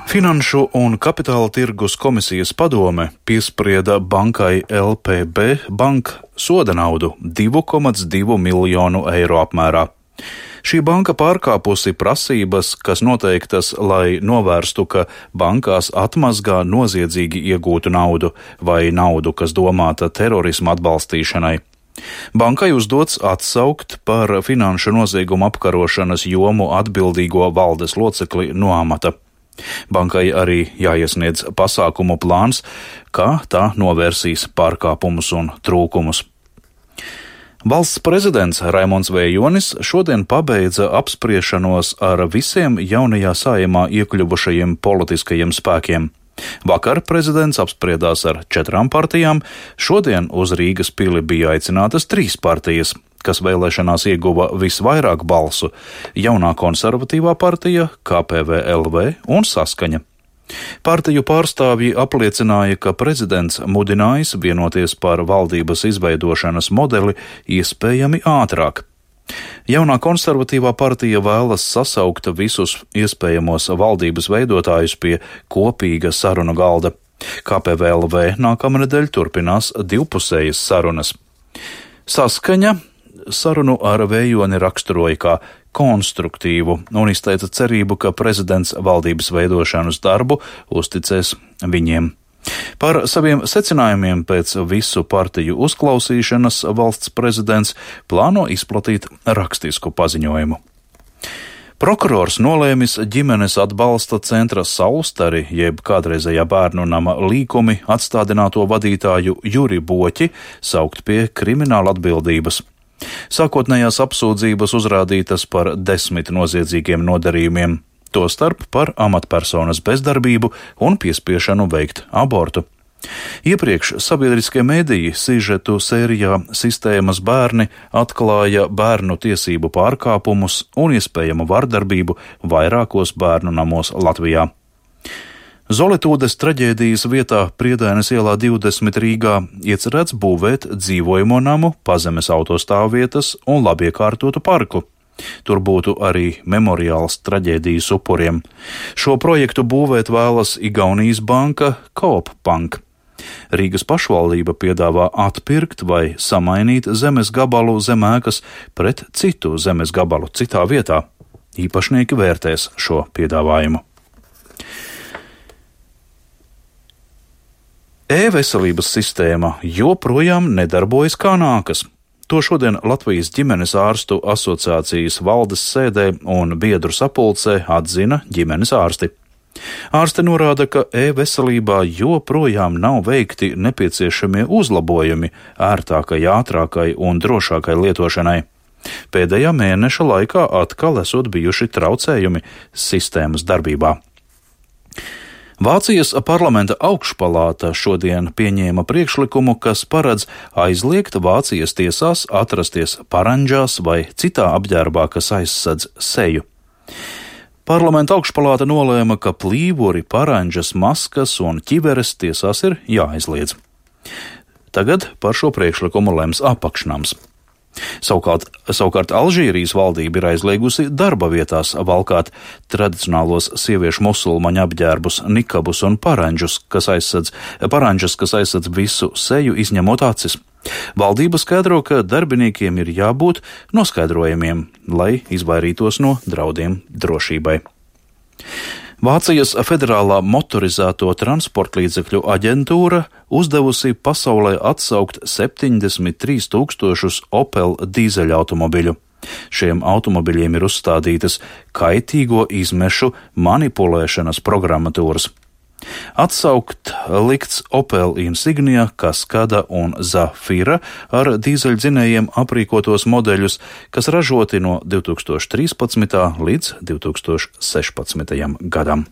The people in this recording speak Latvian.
Finanšu un kapitāla tirgus komisijas padome piesprieda bankai LPB Bank soda naudu 2,2 miljonu eiro apmērā. Šī banka pārkāpusi prasības, kas noteiktas, lai novērstu, ka bankās atmazgā noziedzīgi iegūtu naudu vai naudu, kas domāta terorisma atbalstīšanai. Bankai uzdots atsaukt par finanšu noziegumu apkarošanas jomu atbildīgo valdes locekli no amata. Bankai arī jāiesniedz pasākumu plāns, kā tā novērsīs pārkāpumus un trūkumus. Valsts prezidents Raimonds Vējonis šodien pabeidza apspriešanos ar visiem jaunajā Saeimā iekļuvušajiem politiskajiem spēkiem. Vakar prezidents apspriedās ar 4 partijām, šodien uz Rīgas pili bija aicinātas 3 partijas, kas vēlēšanās ieguva visvairāk balsu - Jaunā konservatīvā partija, KPVLV un Saskaņa. Partiju pārstāvji apliecināja, ka prezidents mudinājis vienoties par valdības izveidošanas modeli iespējami ātrāk. Jaunā konservatīvā partija vēlas sasaukt visus iespējamos valdības veidotājus pie kopīga sarunu galda. KPVLV nākamnedēļ turpinās divpusējas sarunas. Saskaņa sarunu ar Vējoni raksturoja kā konstruktīvu un izteica cerību, ka prezidents valdības veidošanas darbu uzticēs viņiem. Par saviem secinājumiem pēc visu partiju uzklausīšanas valsts prezidents plāno izplatīt rakstisku paziņojumu. Prokurors nolēmis ģimenes atbalsta centra Saulstari, jeb kādreizējā bērnu nama Līkumi atstādināto vadītāju Juri Boķi saukt pie krimināla atbildības. Sākotnējās apsūdzības uzrādītas par 10 noziedzīgiem nodarījumiem, tostarp par amatpersonas bezdarbību un piespiešanu veikt abortu. Iepriekš sabiedriskie mediji sižetu sērijā Sistēmas bērni atklāja bērnu tiesību pārkāpumus un iespējamu vardarbību vairākos bērnu namos Latvijā. Zolitūdes traģēdijas vietā Priedaines ielā 20 Rīgā iecerēts būvēt dzīvojamo namu, pazemes autostāvvietas un labiekārtotu parku. Tur būtu arī memoriāls traģēdijas upuriem. Šo projektu būvēt vēlas Igaunijas banka Coop Bank. Rīgas pašvaldība piedāvā atpirkt vai samainīt zemes gabalu zem ēkas pret citu zemes gabalu citā vietā. Īpašnieki vērtēs šo piedāvājumu. E-veselības sistēma joprojām nedarbojas kā nākas. To šodien Latvijas ģimenes ārstu asociācijas valdes sēdē un biedru sapulcē atzina ģimenes ārsti. Ārsti norāda, ka e-veselībā joprojām nav veikti nepieciešamie uzlabojumi ērtākai, ātrākai un drošākai lietošanai. Pēdējā mēneša laikā atkal esot bijuši traucējumi sistēmas darbībā. Vācijas parlamenta augšpalāta šodien pieņēma priekšlikumu, kas paredz aizliegt Vācijas tiesās atrasties paranģās vai citā apģērbā, kas aizsedz seju. Parlamenta augšpalāta nolēma, ka plīvuri, paranģas, maskas un ķiveres tiesās ir jāaizliedz. Tagad par šo priekšlikumu lems apakšnams. Savukārt Alžīrijas valdība ir aizliegusi darba vietās valkāt tradicionālos sieviešu musulmaņu apģērbus, nikabus un paranģas, kas aizsedz visu seju, izņemot acis. Valdība skaidro, ka darbiniekiem ir jābūt noskaidrojumiem, lai izvairītos no draudiem drošībai. Vācijas Federālā motorizēto transportlīdzekļu aģentūra uzdevusi pasaulē atsaukt 73 000 Opel dīzeļautomobiļu. Šiem automobiļiem ir uzstādītas kaitīgo izmešu manipulēšanas programmatūras. Atsaukt likts Opel Insignia, Kaskada un Zafira ar dīzeļdzinējiem aprīkotos modeļus, kas ražoti no 2013. līdz 2016. gadam.